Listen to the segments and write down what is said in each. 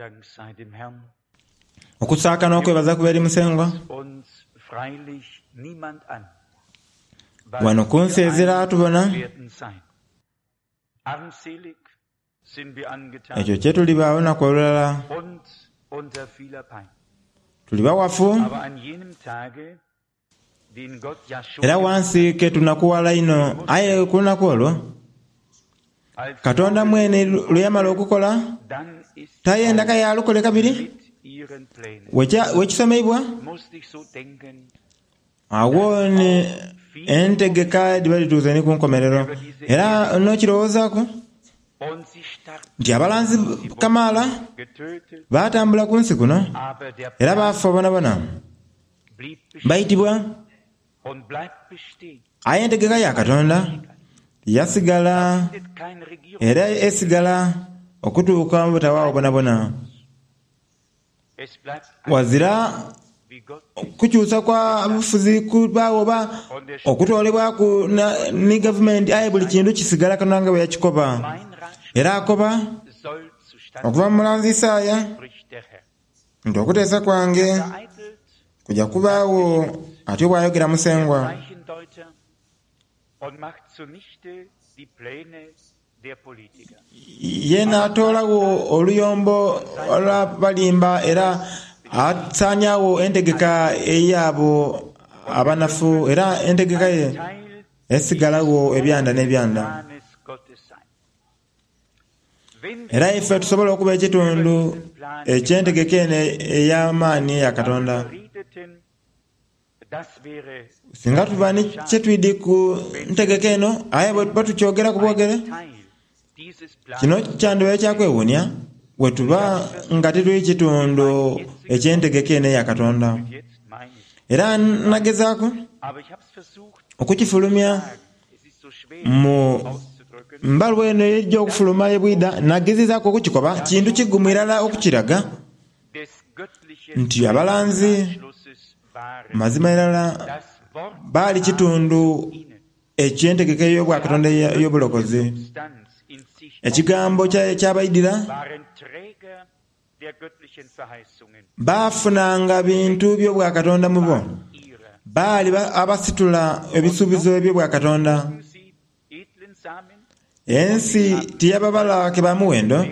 Dank sei dem Herrn. Okusaaka n'okwebaza kube eri Musengwa. Uns freilich niemand an. Wano ku nsi ezira atubona. Werden sein. Armselig sind wir angetan Ekyo kye tuliba olunaku olulala. und unter vieler Pein. Tuliba wafu Aber an jenem Tage, den Gott ja schon era wansi ke tunakuwala inho. Aye ku lunaku olwo als Katonda mwene lwe yamala okukola dann ist tayenda kale alukole kabiri. mit ihren Plänen. Wekisomeibwa Musste ich so denken, awo ni entegeka dhiba dhituuse ni ku nkomerero. Era n'okirowoozaaku und sie starben, nti abalanzi kamaala getötet, baatambula ku nsi kuno aber der era Plan baafa bonabona blieb bestehen baitibwa. und bleibt bestehen. Aye entegeka ya Katonda yasigala Findet kein Regierung. era esigala okutuuka mu butawaawo bonabona. Es bleibt Wazira wie Gott kukyusa kwa bufuzi kubaawo oba okutoolebwaku ni gavumenti, aye buli kintu kisigala Katonda nga bwe yakikoba. mein Ratschluss Era akoba soll zustande okuva mu mulanzi Isaaya spricht der Herr. nti okuteesa kwange Vereitelt kuja kubaawo atyo bw'ayogera Musengwa. Zeichendeuter und macht zunichte die Pläne der Politiker. Ye n'atoolagho oluyombo olw'abalimba era asaaniagho entegeka ey'abo abanafu era entegeka ye Teil esigalagho ebyanda n'ebyanda. Planes Gottes sein. Wenn Era ife tusobola okuba ekitundu eky'entegeka eno ey'amaani eya Katonda. redeten, das wäre Singa tuba ni kyetwidi ku ntegeka eno aye bwe tukyogera ku bwogere, Teil dieses Planes kino kyandibaire kyakwewuunia bwe tuba nga tituli kitundu eky'entegeka eno eya Katonda. jetzt meine ich. Era nagezaaku Aber ich habe es versucht, okukifulumya es ist so schwer mu auszudrücken, mbaluwa eno ejja okufuluma ebwida, nagezezaaku okukikoba kintu kigumu irala okukiraga des göttlichen nti abalanzi Ratschlusses waren. mazima irala Das Wort baali kitundu ihnen eky'entegeka ey'obwakatonda ey'obulokozi. Substanz in sich Ekigambo kyabaidira waren Träger der göttlichen Verheißungen baafunanga bintu by'obwakatonda mu bo. ihrer. Baali abasitula ebisuubizo eby'obwakatonda. Sie edlen Samen Ensi tiyababala ke ba muwendo,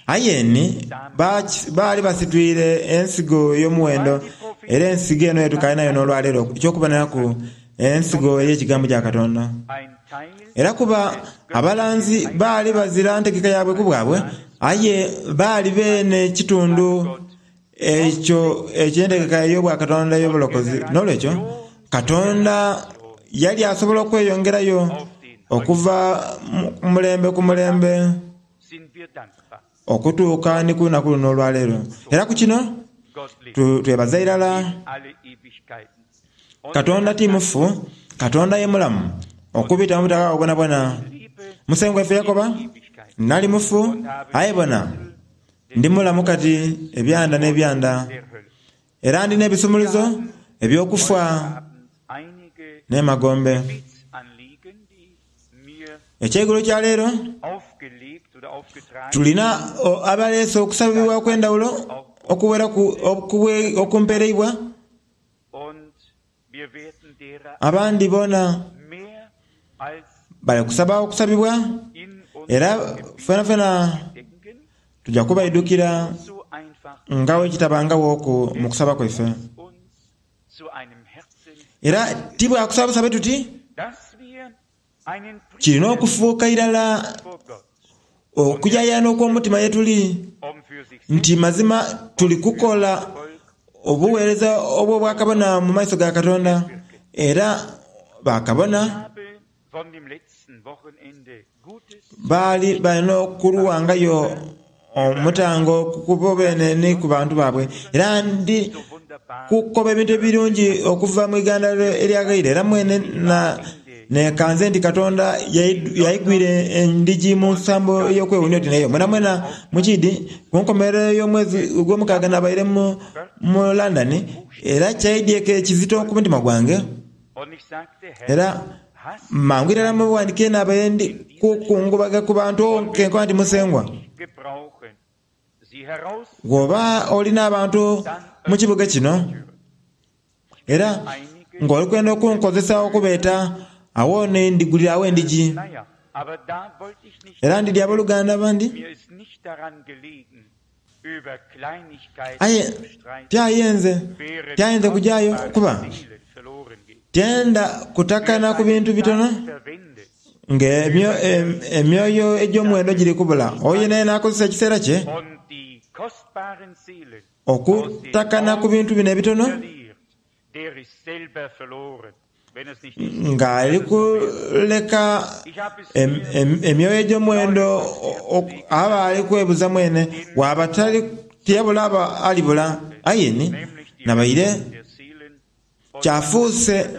aye ni baali basitwire ensigo ey'omuwendo era ensigo eno yetukaali nayo n'olwaleero eky'okuboneraku ensigo ey'ekigambo kya Katonda. ein Teil Era kuba abalanzi baali bazira ntegeka yaabwe ku bwabwe, aye baali beene kitundu ekyo eky'entegeka ey'obwakatonda ey'obulokozi. N'olwekyo Katonda yali asobola okweyongerayo okuva ku mulembe ku mulembe sind wir dankbar. okutuuka ni ku lunaku luno olwaleero. Era ku kino Gott lebt twebaza irala in alle Ewigkeiten. Und Katonda ti mufu, Katonda ye mulamu okubita mu butaka bwonabwona. lebe Musengwa ife yakoba, Ewigkeit nali mufu aye bona ndi mulamu kati ebyanda n'ebyanda, der Hölle. era ndi n'ebisumuluzo eby'okufa Haben einige n'emagombe. Gebetsanliegen, die mir Ekyeigulo kya leero aufgelegt oder aufgetragen tulina abaleese okusabibwa okw'endawulo okuweraku okumpereibwa, und wir werden derer abandi bona mehr als bali kusaba okusabibwa in era unserem fenafena Gedenken tujja kubaidukira so einfach nga bwekitabangawooku mu kusaba kwaife. uns zu einem Herzen, Era ti bwakusaba busabe tuti dass wir einen kirina Priester okufuuka irala vor Gott, okujayana okw'omutima ye tuli für sich nti mazima tuli kukola obuweereza obw'obwakabona mu maiso ga Katonda era bakabona habe von dem letzten Wochenende Gutes baali balina okuluwangayo omutango ku bene ni ku bantu baabwe. Era ndi so wunderbar kukoba ebintu ebirungi okuva mu Uganda eryagaire era mwene nekanze nti Katonda yaigwire endigi mu nsambo ey'okwewuunia oti neyo. Mwena mwena mukidi ku nkomerero y'omwezi ogw'omukaaga nabaire mu London era kyaidyeko ekizito ku mutima gwange und ich sagte, Herr, era hast mangu irala mubuwandiike nabaire ndi kukungubaga ku bantu kenkoba nti Musengwa gebrauchen. Bw'oba oli n'abantu mu kibuga kino, era ng'oli kwenda okunkozesa okubeeta, agho ni ndhiguliragho endhigi. Era ndidhi aboluganda abandi. Aye tyayenze, tyayenze kujayo kuba tyenda kutakana ku bintu bitono nga emyoyo egy'omuwendo giri kubula. Oyo yenayena akozesa ekiseera kye okutakana ku bintu bino ebitono Ng'ali kuleka emyoyo egy'omuwendo aba ali kwebuza mwene bw'aba tiyabula aba alibula. Aye ni nabaire kyafuuse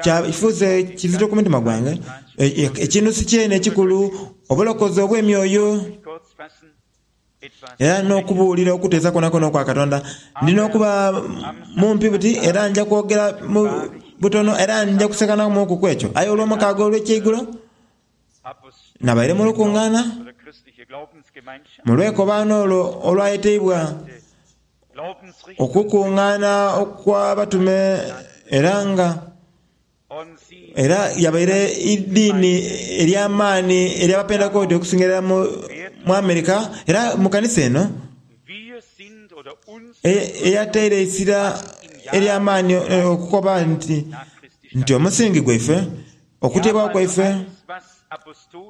kyafuuse kizito ku mutima gwange ekinusu kyene ekikulu, obulokozi obw'emyoyo. Era n'okubuulira okuteesa kwonakwona okwa Katonda. Ndi n'okuba mumpi buti, era nja kwogera mu butono, era nja kusekanamuuku ku ekyo. Aye Olwomukaaga olw'ekyeigulo, nabaire mu lukungaana, mu lwekobaano olwo olwayeteibwa Okukungaana okw'Abatume, era nga. Era yabaire eidiini ery'amaani ery'Abapentekooti okusinga irala mu Amerika. Era mu kanisa eno eyataire eisira ery'amaani okukoba nti nti omusingi gwaife, okuteebwawo kwaife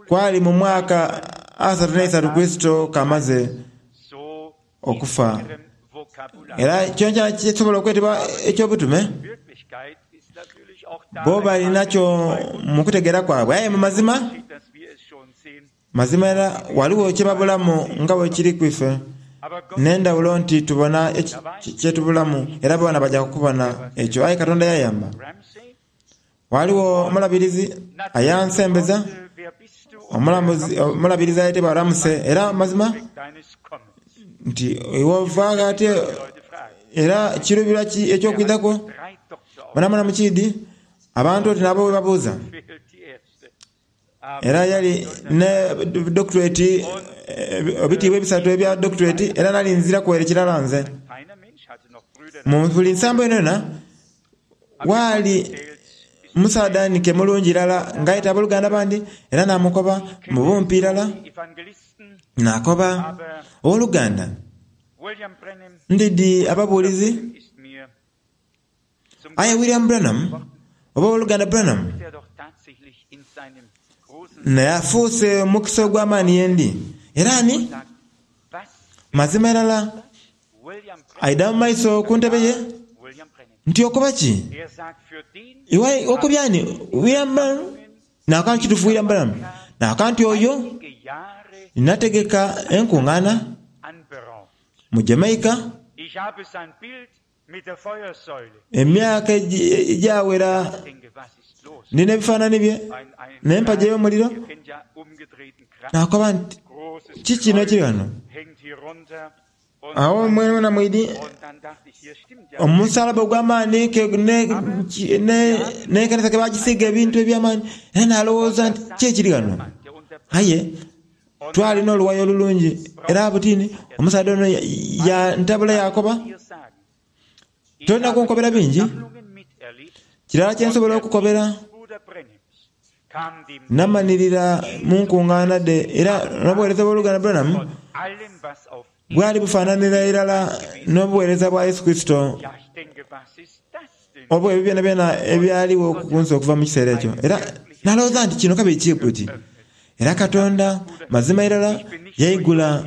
kwali mu mwaka 33 Kurisito k'amaze okufa. Era kyonakyona ekisobola okwetebwa eky'obutume, bo bali nakyo mu kutegeera kwabwe. Aye mu mazima, mazima era ghaligho kye babulamu nga bwe kiri ku ife. N'endhawulo nti tubona kye tubulamu, era boona baja kubona ekyo. Aye Katonda yayamba. Ghaligho omulabirizi ayansembeza, omulabirizi ayetebwa Ramsay, era mazima nti iwe ova gha ati era kiruubirwa ki eky'okwidha kwo? Mwonamwona mukiidhi, abantu oti n'abo bwe babuuza. Era yali ne doctorate, ebitiibwa ebisatu ebya doctorate, era nali nzira kwere kirala nze. Mu buli nsambo yonayona, waali musaadha nike mulungi irala ng'ayeta aboluganda abandi, era naamukoba mu bumpi irala, naakoba, Owoluganda, ndidhi ababuulizi. Aye William Branham, oba Owoluganda Branham, naye afuuse omukisa ogw'amaani yendi. Era ani? Mazima irala aidha mu maiso ku ntebe ye nti, Okoba ki? Iwe okobye ani? William Branham? Nakoba nti, Kituufu, William Branham. Nakoba nti, Oyo nategeka enkungaana mu Jamaica. Emyaka egyawera ndi n'ebifaanani bye n'empagi ey'omuliro, naakoba nti, Kiki kino ekiri ghano? Agho mwenamwena mwidhi omusalaba ogw'amaani n'ekanisa ke baagisiiga ebintu eby'amaani, era naalowooza nti, Ki ekiri ghano? Aye twali n'oluwayo olulungi, era butini omusaadha ono yantabula yaakoba, Tolina kunkobera bingi. Kirala kye nsobola okukobera, namanhirira mu nkungaana dhe era n'obuweereza bw'Oluganda Branham bwali bufaananira irala n'obuweereza bwa Yesu Kurisito obw'ebyo byonabyona ebyaligho ku nsi okuva mu kiseera ekyo. Era nalowooza nti kino kabiri kiri buti. Era Katonda, mazima irala, yaigula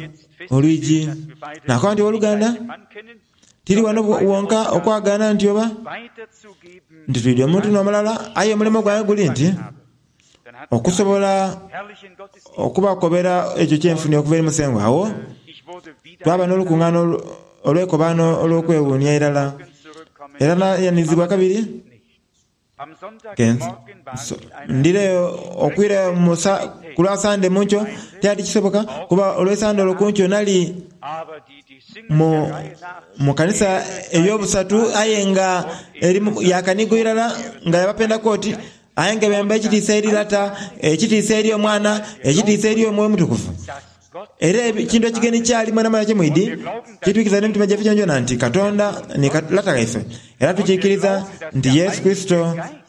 olwigi. Nakoba nti, Owoluganda, tiri wano wonka okwagaana nti oba nti twidhi omuntu n'omulala, aye omulimo gwange guli nti okusobola okubakobera ekyo kye nfunye okuva eri Musengwa. Agho twaba n'olukungaana olw'eikobaano olw'okwewuunia irala, era nayanizibwa kabiri. Ndhireyo okwirayo ku lwa Sande mu nkyo? Kyali tikisoboka, kuba olwe Sande olwo ku nkyo nali mu kanisa ey'obusatu aye nga eri ya kanigo irala nga ya Bapentekooti, aye nga bemba ekitiisa eri Lata, ekitiisa eri Omwana, ekitiisa eri Omwoyo Omutukuvu. Era ekintu ekigeni kyali mwenamwena kye mwidhi, kitwikiriza n'emitima gyaife gyonagyona nti Katonda ni Lata ghaife, era tukiikiriza nti Yesu Kurisito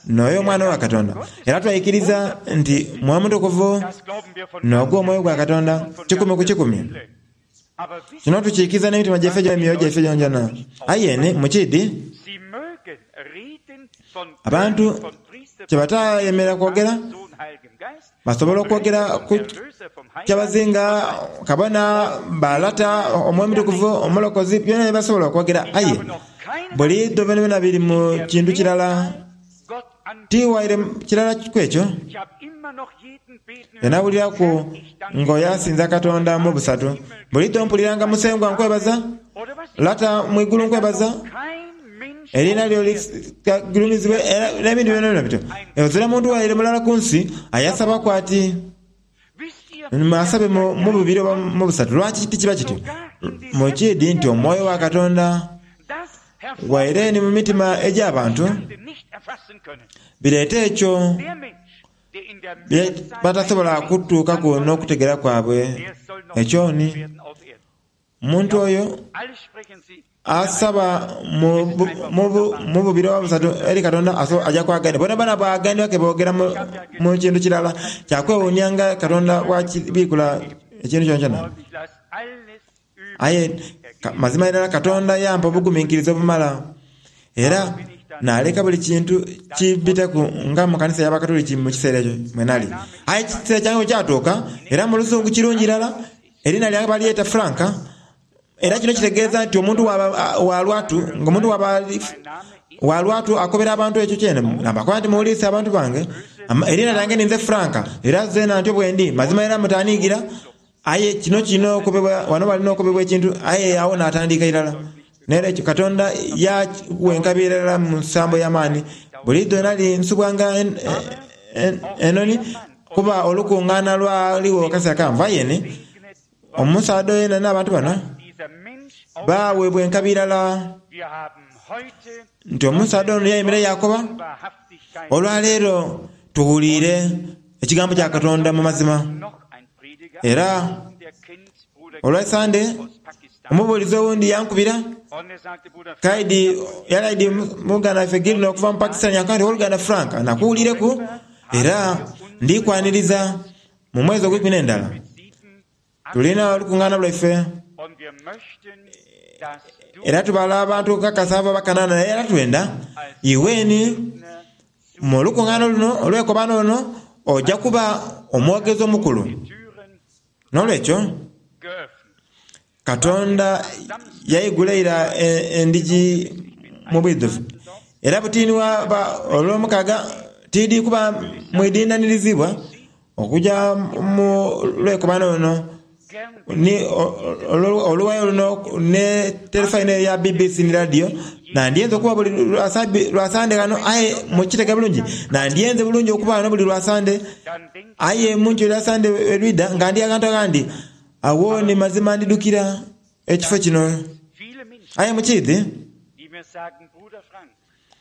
n'oyo Omwana wa Katonda, era twaikiriza nti Mwoyo Mutukuvu n'ogwo Omwoyo gwa Katonda kikumi ku kikumi. Kino tukiikiriza n'emitima gyaife n'emyoyo gyaife gyonagyona. Aye ni mukiidhi, abantu kye batayemerera kwogera, Basobola okwogera ku kyabazinga, kabona, ba lata, Omwoyo Omutukuvu, Omulokozi, byona bye basobola okwogera. Aye buliidho byonabyona biri mu kintu kirala, ti waire kirala ku ekyo. Yanawuliraku ng'oyo asinza Katonda mu busatu. Buliidho mpuliranga Musengwa nkwebaza, Lata mu igulu nkwebaza. Eriina lyo ligulumizibwe, era n'ebindi byonabyona bityo. Ghazira muntu waire mulala ku nsi ayasabaku ati asabe mu bubiri oba mu busatu. Lwaki tikiba kityo? Mukiidhi nti Omwoyo wa Katonda waire ni mu mitima egy'abantu bireeta ekyo bye batasobola kutuukaku n'okutegeera kwabwe. Ekyo ni. Omuntu oyo asaba mu bubiri oba busatu eri Katonda aja kwagaanibwa. Boonaboona bwagaanibwa ke boogera mu kintu kirala. Kya kwewuunia nga Katonda bw'akibiikula ekintu kyonakyona. Aye mazima irala Katonda yampa obuguminkiriza obumala era naaleka buli kintu kimbiteku nga mu kanisa y'Abakatuliki mu kiseera ekyo mwe nali. Aye ekiseera kyange bwe kyatuuka, era mu luzungu kirungi irala, Eriina lyange balyeta Frank, era kino kitegeeza nti omuntu bwaba wa lwatu, nga omuntu bwaba wa lwatu akobera abantu ekyo kyene. Nabakoba nti muwulirisa abantu bange, eriina lyange ninze Frank, era zeena ntyo bwendi. Mazima era mutaniigira, aye kino kirina okobebwa, wano walina okobebwa ekintu, aye agho natandiika irala. N'era ekyo Katonda yaagha enkabi irala mu nsambo ey'amaani. Buliidho nali nsubwanga enoni, kuba olukungaana lwaligho akaseera kawanvu. Aye ni, omusaadha oyo n'abantu bano baaweebwa enkabi irala nti omusaadha ono yayemerera yaakoba, Olwaleero tuwuliire ekigambo kya Katonda mu mazima. Era olwa Sande, omubuulizi owundi yankubira kaidi, yali aidhi muganda waife Gilner okuva mu Pakistan, yankoba nti, Owoluganda Frank, nakuwuliireku era ndi kwaniriza mu mwezi ogw'eikumi n'endala. Tulina olukungaana lwaife era tubala abantu kakasa abo abakanaana era twenda iwe ni mu lukungaana luno olw'enkobano luno oja kuba omwogezi omukulu. N'olwekyo, Katonda yaigula ira endhigi mu bwidhuvu. Era buti ni bwaba Olwomukaaga, tiidhi kuba mwidhinanirizibwa okuja mu lwekobaano luno ni oluwayo luno ne terefayina eya BBC ni laadiyo. Nandyenze okuba buli lwa Sande ghano, aye mukitege bulungi, nandyenze bulungi okuba ghano buli lwa Sande. Aye mu nkyo lya Sande olwidha nga ndi aghantu aghandi, agho ni mazima ndidhukira ekifo kino. Aye mukiidhi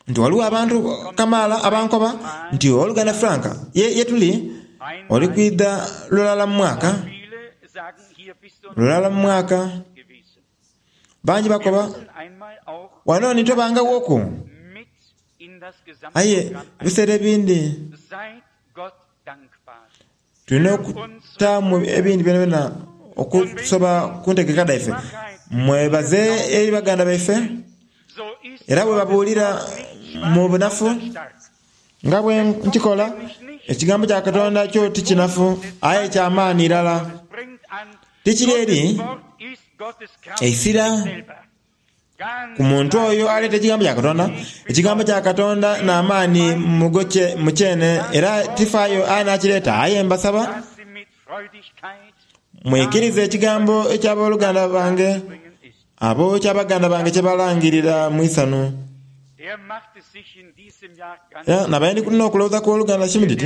nti ghaligho abantu kamaala abankoba nti, Owoluganda Frank, ye, ye tuli, oli kwidha lulala mu mwaka, lulala mu mwaka. Bangi bakoba, Wano ni tobangaghooku. Aye ebiseera ebindi Tulina okutaamu ebindi byonabyona okusoba ku ntegeka dhaife. Mwebaze eri baganda baife era bwebabuulira mu bunafu nga bwe nkikola. Ekigambo kya Katonda kyo ti kinafu aye kya maani irala. Tikiri eri eisira. Ku muntu oyo aleeta ekigambo kya Katonda, ekigambo kya Katonda n'amaani mu kyene, era tifaayo anaakireeta. Aye mbasaba mwikirize ekigambo eky'aboluganda bange abo eky'abaganda bange kye balangirira mu isanhu. Era nabaire ndi n'okulowooza ku Owoluganda Schmidt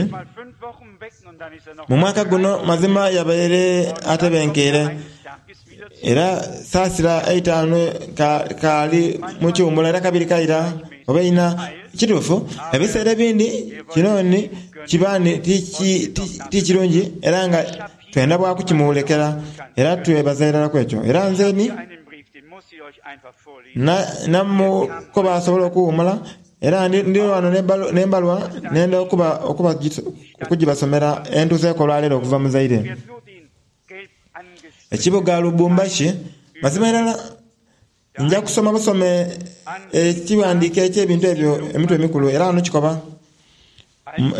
mu mwaka guno, mazima yabaire atebenkeire. Era saasira eitaanu kaali mu kiwumulo era kabiri kaira oba eina. Kituufu, ebiseera ebindi kino ni kiba ni ti kirungi era nga. Twenda bwa kukimulekera, era twebaza irala ku ekyo. Era nze ni, na, namukoba asobole okuwuumula, era ndi, ndi ghano n'embalwa nenda okuba, okuba, okugibasomera entuuseeku olwaleero okuva mu Zaire. Ekibuga Lubumbashi, mazima irala nja kusoma busome ekighandiiko eky'ebintu ebyo emitwe emikulu, era ghano kikoba,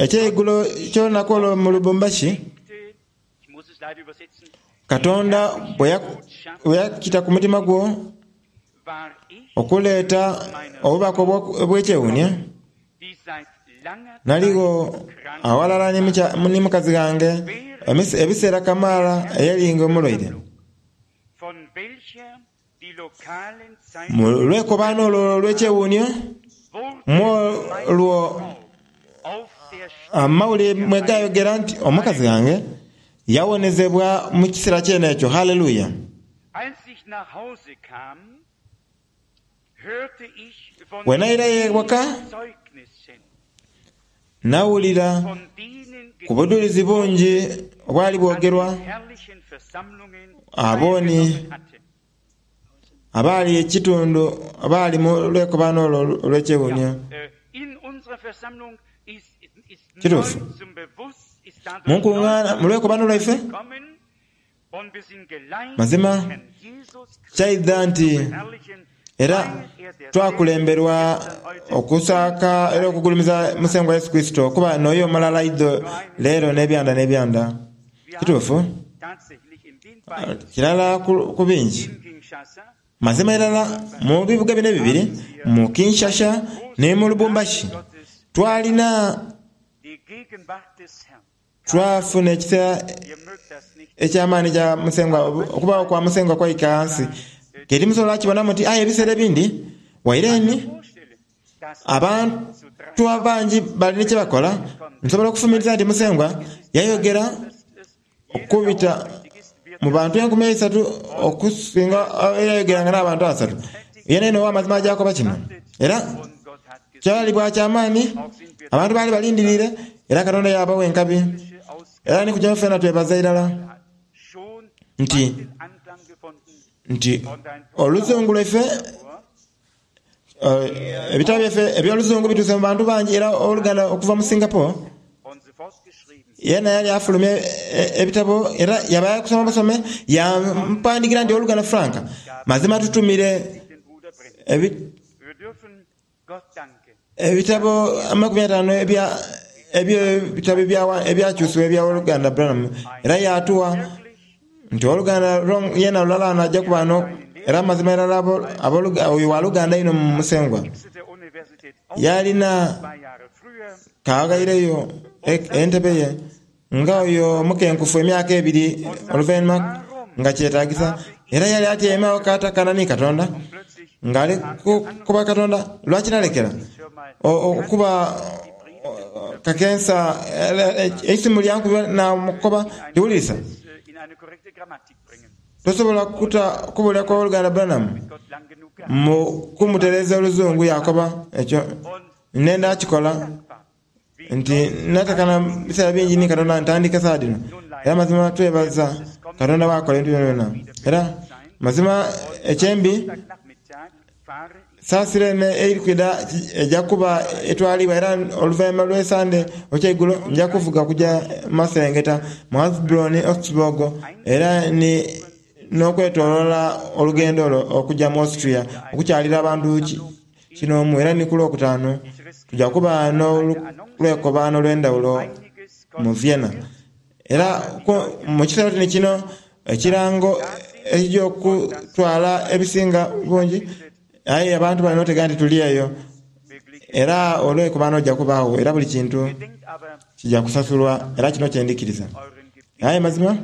Eky'eigulo ky'olunaku olwo mu Lubumbashi, Katonda bwe yakita ku mutima gwo okuleeta obubaka obw'ekyewuunhio, Naligho aghalala ni mukazi ghange ebiseera kamaala eyali nga omulwaire. Mu lwekobaano olwo olw'ekyewuunhio, mw'olwo amawulire mwe gaayogera nti omukazi ghange yawonezebwa mu kiseera kyene ekyo. Haleluya! Bwe nairayo ewaka, nawulira ku budhulizi bungi obwali bwogerwa abo ni abaali ekitundu abaali mu lwekobaano olwo olw'ekyewuunhio. Kituufu, mu nkungaana, mu lwekobaano lwaife, Mazima kyaidha nti era twakulemberwa okusaaka era okugulumiza Musengwa Yesu Kurisito kuba n'oyo omulala idho, leero, n'ebyanda n'ebyanda. Kituufu, kirala ku bingi. Mazima irala mu bibuga bino ebibiri, mu Kinshasha ni mu Lubumbashi, twalina. Twafuna ekisa eky'amaani ekya Musengwa, okubaagho kwa Musengwa kwaika ghansi. Ke timusobola kukibona muti, aye ebiseera ebindi waire ni abantu abangi bali ni kye bakola, nsobola okufumintiriza nti Musengwa yayogera okubita mu bantu enkumi eisatu okusinga eyayogeranga n'abantu asatu. Yenayena ow'amazima aja koba kino. Era kyali bwa ky'amaani, abantu baali balindiriire, era Katonda yaabagha enkabi. Era ni ku kino twena twebaza irala nti, nti oluzungu lwaife, ebitabo byaife eby'oluzungu bituuse mu bantu bangi era owoluganda okuva mu Singapore yena yali afulumya ebitabo era yaba kusoma busome yampandikira nti owoluganda Frank mazima tutumire ebitabo amakumi ataanu ebya ebitabo ebyakyusibwa ebya owoluganda Branham era yatuwa nti owoluganda yena lulala ghano aja kuba no era amazima irala oyo waluganda inho mu Musengwa. Yalina kaghaireyo entebe ye nga oyo omukenkufu emyaka ebiri oluvainhuma nga kyetagisa. Era yali atyaime agho katakana ni Katonda, nga ali kukoba Katonda, Lwaki nalekera okuba kakensa? Eisimu lyankuba namukoba nti, Wulirisa, tosobola kuta kubulira kwa Owoluganda Branham mu kumutereeza Oluzungu. Yakoba ekyo nenda kikola. Nti natakana biseera bingi ni Katonda ntandike sawa dhino. Era mazima twebaza Katonda bwakola ebintu byonabyona. Era mazima ekyembi saasira eno eri kwidha eja kuba etwaliibwa era oluvainhuma lw'esande olweigulo nja kuvuga kuja maserengeta mu Heilbronn, Augsburg era ni n'okwetoloola olugendo olwo okuja mu Austria okukyalira abantu kinoomu era ni ku Lwokutaanu tuja kuba n'olwekobaano olw'endhawulo mu Vienna. Era mu kiseera oti ni kino, ekirango ekija okutwala ebisinga bungi, aye abantu balina otegeera nti tuli eyo era olwekobaano luja kubaagho era buli kintu kija kusasulwa era kino kye ndhikiriza. Aye mazima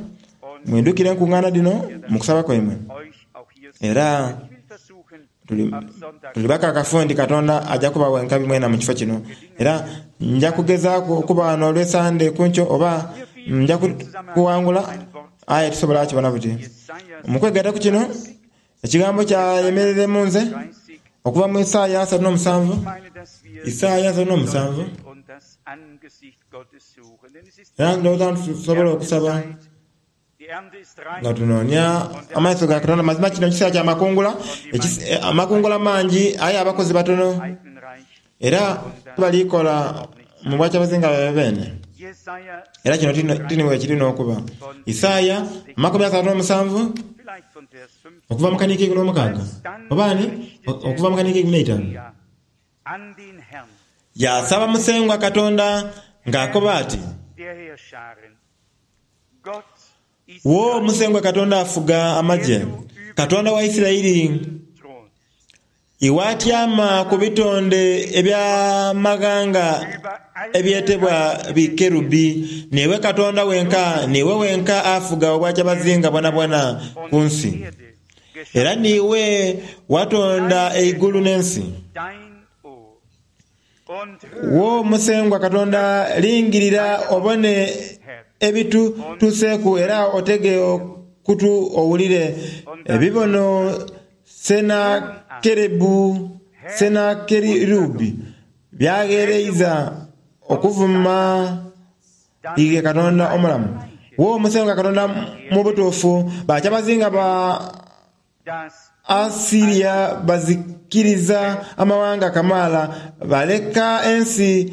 mwidhukire enkungaana dhino mu kusaba kwaimwe era Tuli bakakafu nti Katonda aja kubagha enkabi mwena mu kifo kino. Era nja kugezaaku okuba ghano olw'Esande ku nkyo, oba nja kuwangula, aye tisobola kukibona buti. Mu kwegaita ku kino, Ekigambo kyayemerere mu nze, okuva mu Isaaya 37, Isaaya 37. Era ndowooza nti tusobola okusaba. Nga tunoonia amaiso ga Katonda. Mazima kino kiseera kya makungula, amakungula mangi aye abakozi batono. Era tibali kola mu bwakyabazinga bwaibwe beene. Era kino ti ni bwekiri n'okuba. Isaaya 37, okuva mu kanhika eikumi n'omukaaga, oba ni, okuva mu kanhika eikumi n'eitaanu. Yaasaba Musengwa Katonda ng'akoba ati, Wo Musengwa Katonda Afuga Amagye, Katonda wa Isiraeli, iwe atyama ku bitonde eby'amaghanga ebyetebwa bikerubi, niiwe Katonda wenka, niiwe wenka afuga obwakyabazinga bwonabwona ku nsi. Era niiwe watonda eigulu n'ensi. Wo Musengwa Katonda, lingirira obone ebitutuuseeku era otege okutu owulire ebibono Sennakeribu by'agheereiza okuvuma ighe Katonda omulamu. Wo Musengwa Katonda, mu butuufu bakyabazinga ba Assiria bazikiriza amawanga kamaala, baaleka ensi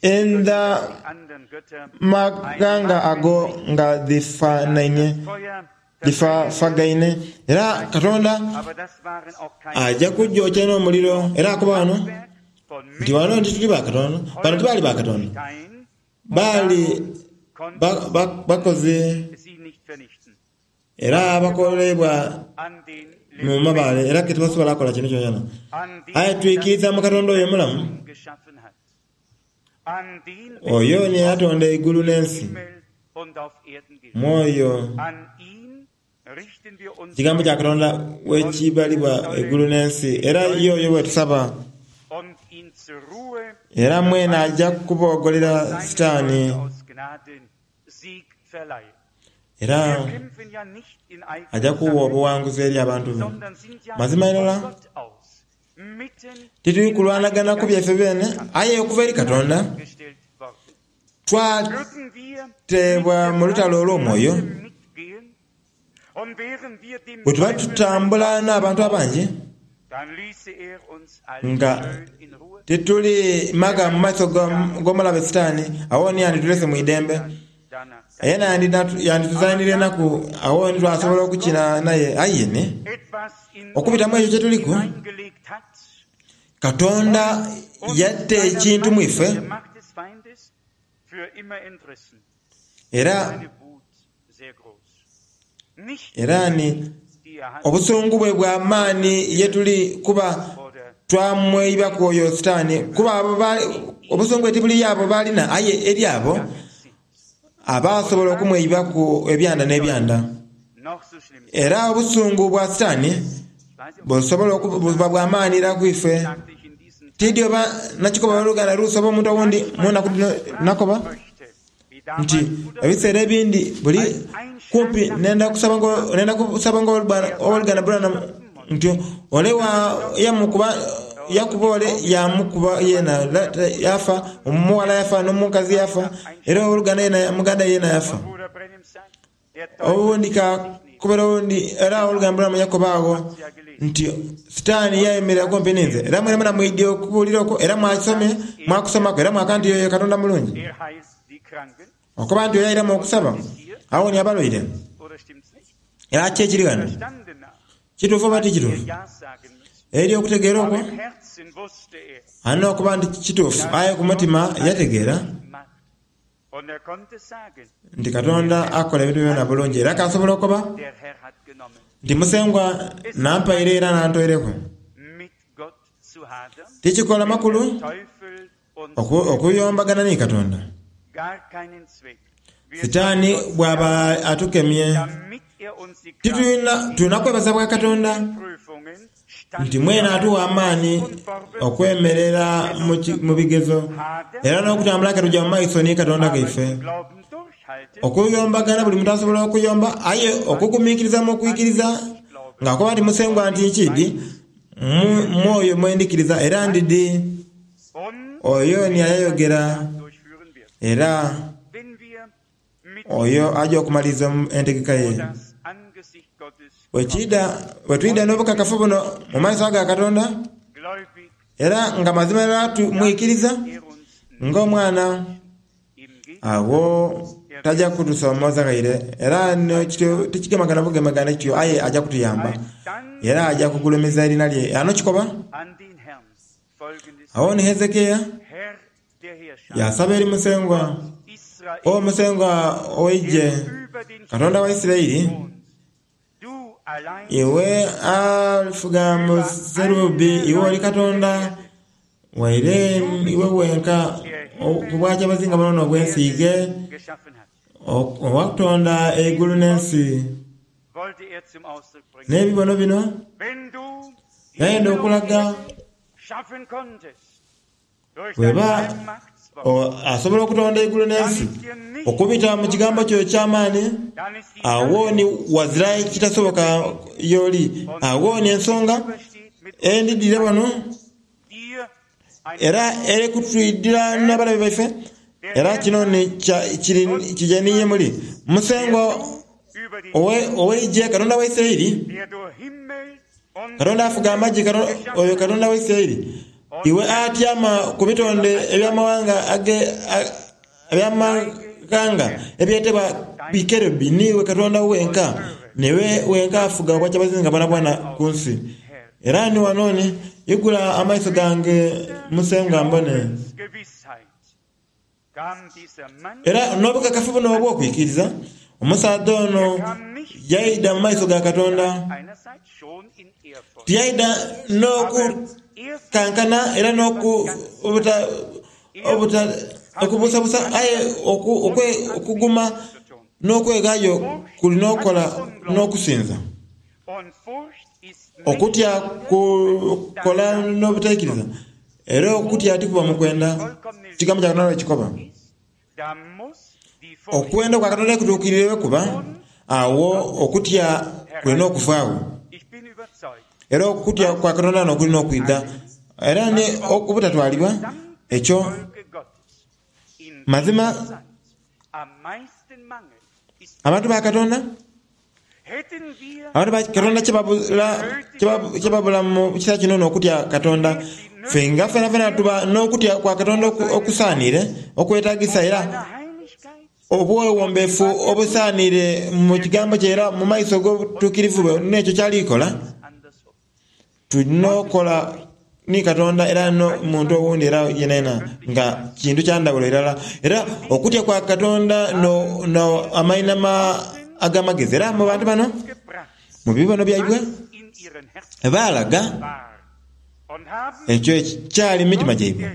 edh'amaghanga ago nga dhifafagaine. Era Katonda aja kugyokya n'omuliro. Era akoba ghano nti ghano nti tuli ba Katonda. Bano tibaali ba Katonda, baali bakozi. Era abakoleibwa mu mabaale, era ke tibasobola kukola kintu kyonakyona. Aye twikiriza mu Katonda oyo omulamu, oyo ni eyatonda eigulu n'ensi. Mu oyo ekigambo kya Katonda wekibalibwa eigulu n'ensi, era ye oyo bwetusaba. Era mwene aja kuboogolera Sitaani. Era aja kugha obughanguzi eri abantu be. Mazima irala, tituli kulwanagana ku byaife beene, aye okuva eri Katonda twateebwa mu lutalo olw'omwoyo. Bwe tuba tutambula n'abantu abangi nga tituli maga mu maiso g'omulabe Sitaani, agho ni yanditulese mu idembe. Yena yandituzaanira enaku, agho ni twasobola okukina naye. Aye ni, okubita mu ekyo kye tuliku, Katonda yata ekintu mu ife era Era ni obusungu bwe bwa maani ye tuli kuba twamweibaku oyo Sitaani, kuba abo obusungu bwe tibuli y'abo b'alina aye eri abo abaasobola okumweibaku ebyanda n'ebyanda. Era obusungu bwa Sitaani busobola okuba bwa maani ira ku ife. Tiidhi oba nakikoba ow'oluganda Ruth oba omuntu owundi mu naku dhino, nakoba. nti ebiseera ebindi buli kumpi nenda kusaba nenda kusaba nga owoluganda Branham nti ole yamukuba yakuba ole yamukuba yena yafa, omughala yafa n'omukazi yafa era owoluganda yena muganda yena yafa. Owundi kakobera owundi, era owoluganda Branham yakoba agho nti Sitaani yayemerera kumpi ninze. Era mwenamwena mwidhie okubuulira okwo, era mwakisomye, mwakusomaku, era mwakana nti oyo Katonda mulungi. Okoba nti oyo airamu okusaba, awonia abalwaire. Era ki ekiri ghano? Kituufu oba ti kituufu? Eri okutegeera okwo, alina okuba nti kituufu, aye ku mutima yategeera. nti Katonda akola ebintu byonabyona bulungi, era k'asobola okukoba nti, Musengwa n'ampaire era n'antoireku. Tikikola makulu okuyombagana ni Katonda. Sitaani bw'aba atukemye, titulina kwebaza bwa Katonda nti mwene atugha amaani okwemerera mu bigezo era n'okutambula ke tuja mu maiso ni Katonda ghaife. Okuyombagana buli muntu asobola okuyomba, aye okuguminkiriza mu kwikiriza ng'akoba nti Musengwa nti nkiidhi, mu oyo mwe ndhikiriza era ndidhi oyo ni ayayogera era. Oyo aja okumaliriza entegeka ye. Bwe twidha n'obukakafu buno mu maiso aga Katonda, era nga mazima irala tumwikiriza ng'Omwana, agho taja kutusoomooza ghaire, era tikigemagana bugemagane kityo, aye aja kutuyamba, era aja kugulumiza eriina lye. Ghano kikoba, Agho ni Hezekia yaasaba eri Musengwa, O Musengwa ow'Eigye, Katonda wa Isiraeli, Iwe afuga mu serubi, iwe oli Katonda, waire iwe wenka ku bwakyabazinga bwonabwona obw'ensi ighe owakutonda eigulu n'ensi. N'ebibono bino yayenda okulaga Bw'eba asobola okutonda eigulu n'ensi okubita mu kigambo kyo eky'amaani, agho ni ghazira kitasoboka y'oli. Agho ni ensonga endidhire wano era eri kutwidhira n'abalabe baife, era kino ni kije ni ye muli. Musengwa ow'eigye, Katonda wa Isiraeli, Katonda afuga amagye, oyo Katonda wa Isiraeli, iwe atyama ku bitonde eby'amaghanga ebyetebwa bikerubi, niiwe Katonda wenka, niiwe wenka afuga obwakyabazinga bwonabwona ku nsi. Era ni wano ni, igula amaiso gange Musengwa mbone. Era n'obukakafu buno obw'okwikiriza, omusaadha ono yaidha mu maiso ga Katonda. Tiyaidha n'okukankana era n'okubuusabuusa, aye okuguma n'okweghaayo kuli n'okola n'okusinza. Okutya kukola n'obutaikiriza, era okutya tikuba mu kwenda. Ekigambo kya Katonda bwe kikoba. Okwenda kwa Katonda kutuukirire bwe kuba, agho okutya kulina okuvaagho. Era okutya kwa Katonda n'okulina okwidha, era ni obutatwalibwa ekyo. Mazima, abantu ba Katonda Abantu ba Katonda kye babula mu kiseera kino n'okutya Katonda. Ffe nga fenafena tuba n'okutya kwa Katonda okusaaniire, okwetagisa era obwewombeefu obusaaniire mu kigambo kye era mu maiso g'obutuukirivu bwe n'ekyo ky'ali kola. Tulina okola ni Katonda era n'omuntu owundi era yenayena nga kintu kya ndhawulo irala. Era okutya kwa Katonda n'amainhama ag'amagezi. Era mu bantu bano, mu bibono byaibwe, baalaga ekyo ekyali mu mitima gyaibwe.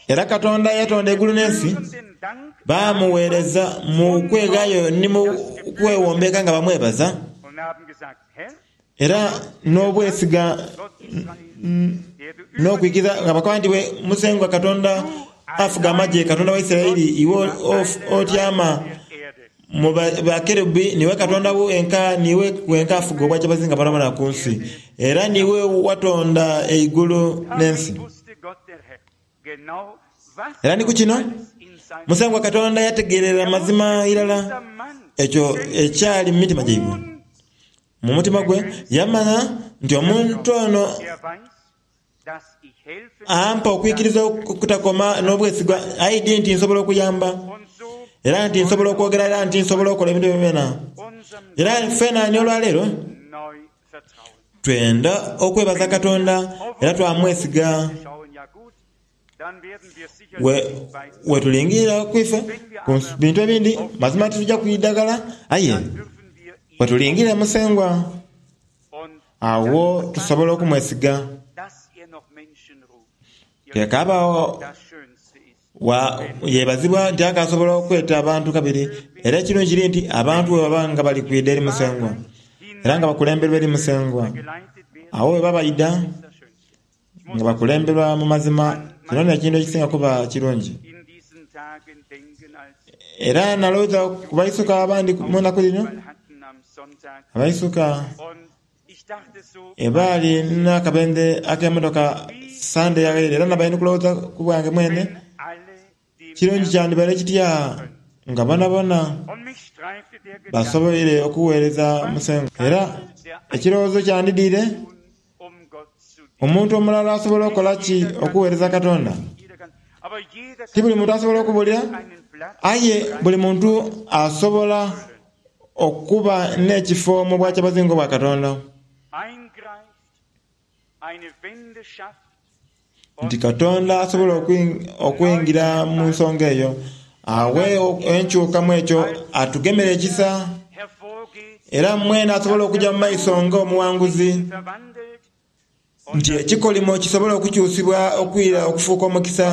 Era Katonda eyatonda eigulu n'ensi baamugheereza mu kweghaayo ni mu kwewombeeka nga bamwebaza, era n'obwesiga n'okwikiriza nga bakoba nti, Iwe Musengwa Katonda afuga amagye, Katonda wa Isiraeli, iwe otyama Mu bakerubi niiwe Katonda wenka, niiwe wenka afuga obwakyabazinga bwonabwona ku nsi, era niiwe watonda eigulu n'ensi. Era ni ku kino Musengwa Katonda yategeerera mazima irala ekyo ekyali mu mitima gyaibwe. Mu mutima gwe yamanha nti omuntu ono Ampa okwikiriza okutakoma n'obwesigwa. Aidhi nti nsobola okuyamba, era nti nsobola okwogera, era nti nsobola okola ebintu byonabyona. Era ffena ni olwaleero twenda okwebaza Katonda era twamwesiga. Bwe tulingirira ku ife ku bintu ebindi, mazima tituja kwidha ghala, aye bwe tulingirira Musengwa, Agho tusobola okumwesiga. Ghekaabagho yebazibwa nti akaasobola okweta abantu kabiri. Era ekirungi kiri nti abantu bwe baba nga bali kwidha eri Musengwa era nga bakulemberwa eri Musengwa, agho bwe baba baidha nga bakulemberwa mu mazima, kino n'ekintu ekisinga kuba kirungi. Era nalowooza ku baisuka abandi mu naku dhino, abaisuka ebaali n'akabendhe ak'emotoka Sande eyaghaire, era nabaire ndi kulowooza ku bwange mwene. Kirungi kyandibaire kitya nga bonabona basoboire okuweereza Musengwa. Era ekirowoozo kyandidhire, Omuntu omulala asobola okukola ki okuweereza Katonda? Ti buli muntu asobola okubuulira, aye buli muntu asobola okuba n'ekifo mu Bwakyabazinga obwa Katonda. Nti Katonda asobola okwingira mu nsonga eyo, aghe enkyuka mu ekyo, atugemere ekisa, era mwene asobole okuja mu maiso nga omuwanguzi, nti ekikolimo kisobole okukyusibwa okwira okufuuka omukisa,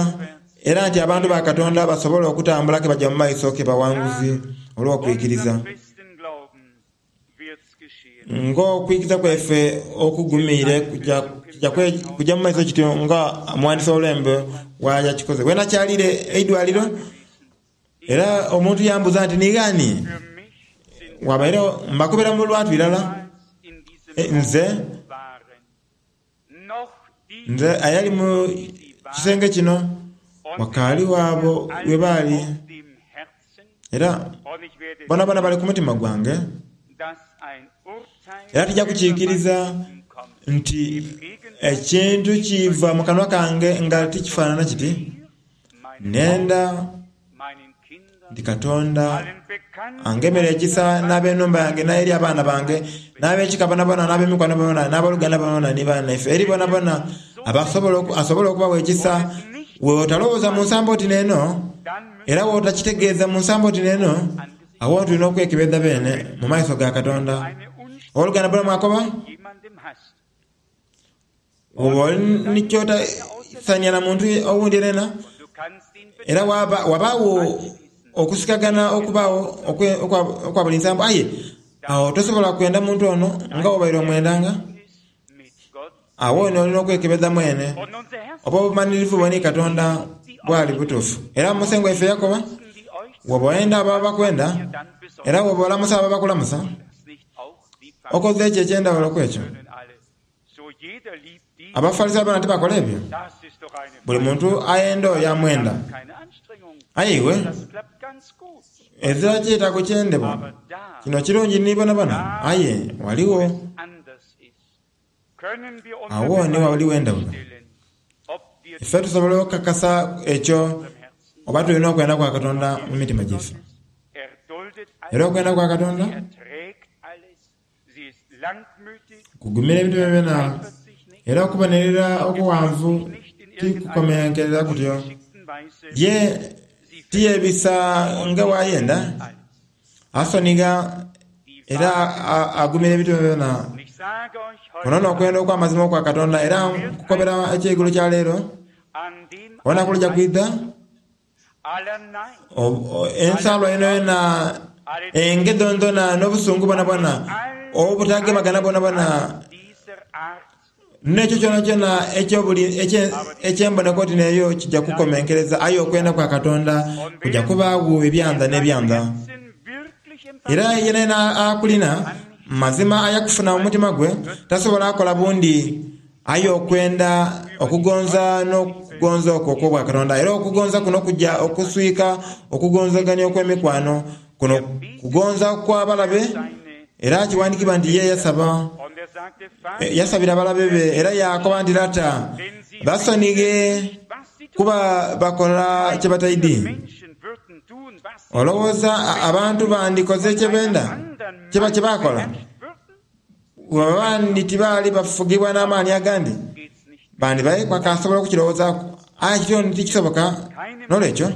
era nti abantu ba Katonda basobole okutambula ke baja mu maiso ke bawanguzi olw'okwikiriza. Ng'okwikiriza kwaife okugumiire kuja kuja mu maiso kityo nga omuwandiisi w'olwembo bw'akikoze. Bwenakyaliire eidwaliro era omuntu yambuuza nti, Ni ghani? Wabaire mbakobera mu lwatu irala, nze Nze ayali mu kisenge kino wakaali abo ghe baali, era bonabona bali ku mutima gwange. Era tija kukiikiriza nti ekintu kiva mu kanwa kange nga tikifaanana kiti. Nenda nti Katonda angemere ekisa n'ab'enhumba yange, n'eri abaana bange, n'ab'ekika bonabona, n'ab'emikwano bonabona, n'aboluganda bonabona, ni banaife, eri bonabona asobola okubawa ekisa. Bw'otalowooza mu nsambo oti n'eno, era bw'otakitegeeza mu nsambo oti n'eno, agho tulina okwekebedha beene mu maiso ga Katonda. Owoluganda Branham akoba. Bw'oba oli ni ky'otaisania na muntu owundi yenayena, era wabaagho okusikagana okubaagho okwa buli nsambo, aye agho tosobola kwenda muntu ono nga bw'obaire omwendanga. Agho ni oli n'okwekebeza mwene oba obumanhirivu bwo ni Katonda bwali butuufu. Era Musengwa waife yakoba, Bw'oba oyenda abo abakwenda, era bw'oba olamusa abo abakulamusa, okoze ki eky'endhaghulo ku ekyo? Abafarisaayo boona tibakola ebyo? Buli muntu ayenda oyo amwenda. Aye iwe, ezira kyetaago kyendebwa. Kino kirungi ni bonabona, aye ghaligho agho ni ghaligho endhawulo. Ife tusobola okukakasa ekyo oba tulina okwenda kwa Katonda mu mitima gyaife. Era okwenda kwa Katonda Kugumira ebintu byonabyona, era okubonerera okughanvu tikukomenkerera kutyo. Ye tiyebisa nga bw'ayenda, asonigha era agumira ebintu byonabyona. Kuno n'okwenda okw'amazima okwa Katonda, era nkukobera eky'eigulo kya leero, olunaku luja kwidha Ensalwa yonayona, enge dhondhona n'obusungu bwonabwona, obutagemagana bwonabwona, n'ekyo kyonakyona eky'emboneka oti n'eyo kija kukomenkereza, aye okwenda kwa Katonda kuja kubaagho ebyanda n'ebyanda. Era yenayena akulina, mazima ayakufuna mu mutima gwe, tasobola kola bundi. Aye okwenda, okugonza n'okugonza okwo okw'Obwakatonda. Era okugonza kuno kuja okuswika okugonzagania okw'emikwano. Kuno kugonza kwa balabe, era kiwandikibwa nti ye yasaba, yasabira abalabe be era yaakoba nti, Lata, basonighe kuba bakola kye bataidhi. Olowooza abantu bandikoze kye benda, kye bakola? Bwebaba ni tibaali bafugibwa n'amaani agandi, bandibaire bakaasobola okukirowoozaaku. Aye kityo ni tikisoboka. N'olwekyo,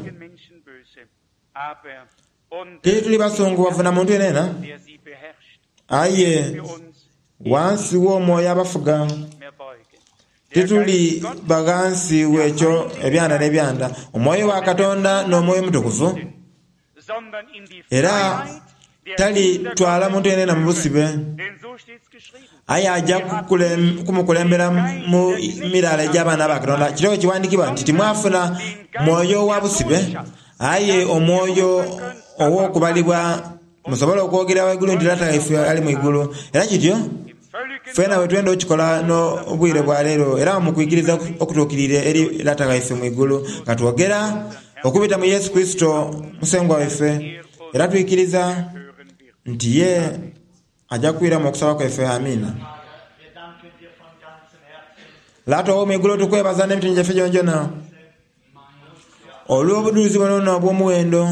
tituli basungughavu na muntu yenayena, aye ghansi w'omwoyo abafuga. Tituli ba ghansi w'ekyo ebyanda n'ebyanda. Omwoyo wa Katonda n'Omwoyo Omutukuvu. Era talitwala muntu yenayena mu busibe, aye aja kumukulembera mu miraala egy'abaana ba Katonda. Kire bwe kiwandiikibwa nti, Timwafuna mwoyo wa busibe, aye omwoyo ow'okubalibwa musobole okwogera ghaigulu nti, Lata waife ali mu igulu. Era kityo fwena bwe twenda okukikola n'obwire bwa leero, era mu kwikiriza okutuukiriire eri Lata waife mu igulu, nga twogera. Okubita mu Yesu Kurisito Musengwa waife, era twikiriza nti ye aja kwiramu okusaba kwaife. Amiina. Lata ow'omwigulu, tukwebaza n'emitima gyaife gyonagyona olw'obudhulizi buno obw'omuwendo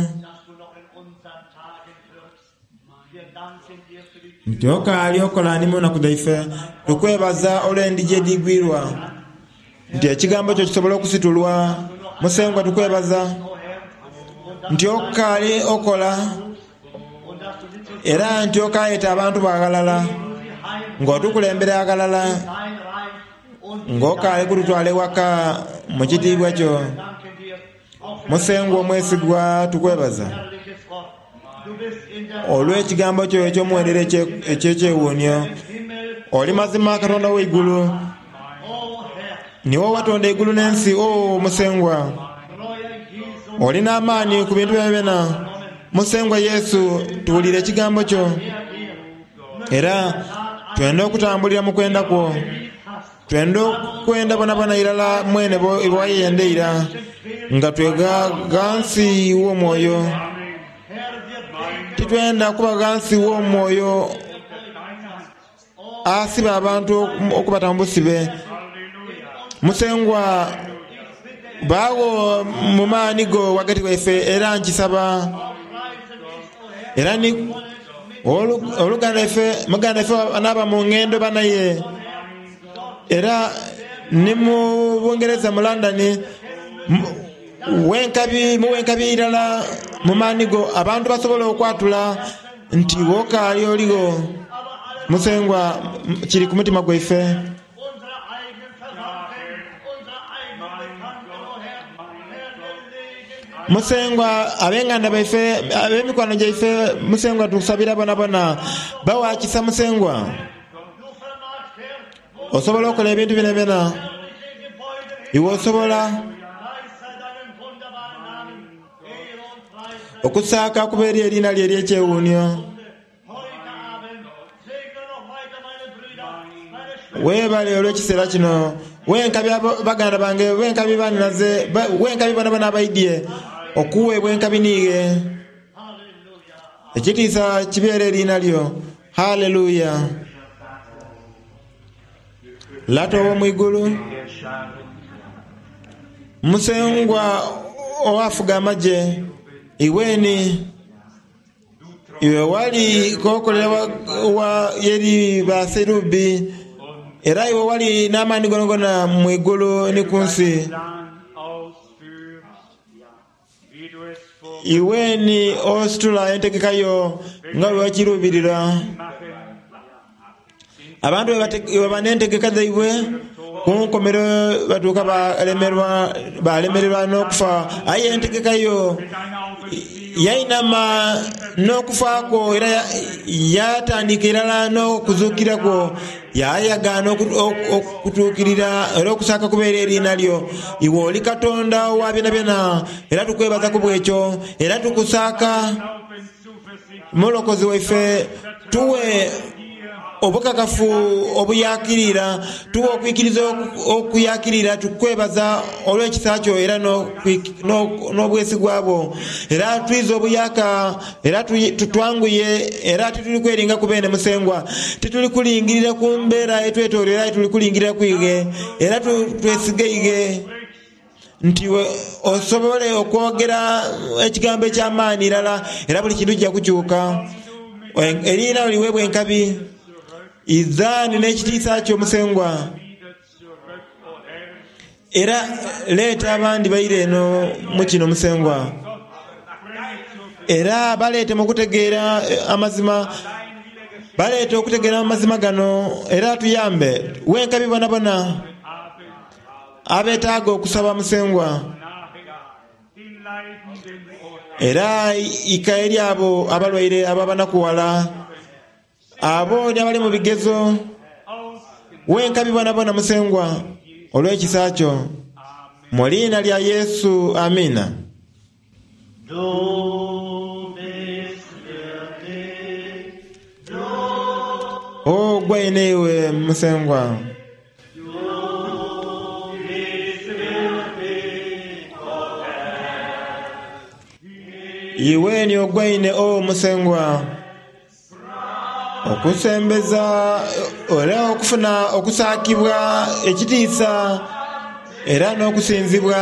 nti okaali okola ni mu naku dhaife. Tukwebaza olw'endhigi edhigwirwa nti ekigambo kyo kisobola okusitulwa. Musengwa tukwebaza nti okaali okola era nti okaayeta abantu bo aghalala nga otukulembera aghalala nga okaali kututwala ewaka mu kitiibwa kyo. Musengwa omwesigwa tukwebaza olw'ekigambo kyo eky'omuwendo era eky'ekyewuunhio. Oli mazima Katonda w'eigulu, niiwe owatonda eigulu n'ensi. O Musengwa, oli n'amaani ku bintu byonabyona. Musengwa Yesu, tuwulire ekigambo kyo era twenda okutambulira mu kwenda kwo. Twenda okwenda bonabona irala mwene bwe wayenda eira, nga twegha ghansi w'omwoyo. Titwenda kuba ghansi w'omwoyo asiba abantu okubata mu busibe. Musengwa, baagho mu maani go ghagati ghaife, era nkisaba. Era ni oluganda ife, muganda ife anaaba mu ngendo banaye. Era ni mu Bungereza mu London, wenkabi, muwenkabi irala mu maani go, abantu basobola okwatula nti wokaali oligho. Musengwa, kiri ku mutima gwaife. Musengwa, ab'enganda baife, ab'emikwano gyaife, Musengwa tukusabira bonabona. Bawa kisa, Musengwa. Osobola okola ebintu byonabyona. Iwe osobola okusaaka kuba eri eriina lyo ery'ekyewuunhio. Weebale olw'ekiseera kino. Wenkabi baganda bange, wenkabi baninaze, wenkabi bonabona abaidhye okuweebwa enkabi n'ighe. Ekitiisa kibeere eriina lyo. Haleluya! Lata ow'omu igulu, Musengwa owafuga amagye, iwe ni iwe wali k'okolera wa eri baserubi, era iwe wali n'amaani gonagona mu igulu ni ku nsi. Iwe ni ositula entegeka yo nga bwe wakiruubirira. Abantu bwe baba n'entegeka dhaibwe, ku nkomerero batuuka baalemererwa n'okufa. Aye entegeka yo yainama n'okufa kwo era yaatandiika irala n'okuzuukira kwo. Yaayagaana okutuukirira era okusaaka kubeere eriina lyo. Iwe oli Katonda owa byonabyona, era tukwebaza ku bw'ekyo, era tukusaaka. Mulokozi waife, tuwe obukakafu obuyaakirira, tuwe okwikiriza okuyaakirira. Tukwebaza olw'ekisa kyo era n'obwesigwa bwo. Era twiza obuyaaka Era twanguye, era tituli kweringaku beene Musengwa. Tituli kulingirira ku mbeera etwetooloire aye tuli kulingirira ku ighe, era twesiga ighe nti iwe osobole okwogera ekigambo eky'amaani irala, era buli kintu kija kukyuka. Eriina lyo liweebwe enkabi. Idha ni n'ekitiisa kyo Musengwa. Era leeta abandi baire eno mu kino, Musengwa, era baleete mu kutegeera amazima. Baleete okutegeera amazima gano, era tuyambe wenkabi bonabona abetaaga okusaba, Musengwa. Era ika eri abo abalwaire, abo abanakughala. Abo ni abali mu bigezo. Wenkabi bonabona Musengwa, olw'ekisa kyo. Mu liina lya Yesu. Amiina. Du bist wirklich, du. Ogwaine iwe Musengwa. Du bist wirklich, o Herr. Iwe ni ogwaine, O Musengwa, okusembeza era okufuna okusaakibwa, ekitiisa era n'okusinzibwa.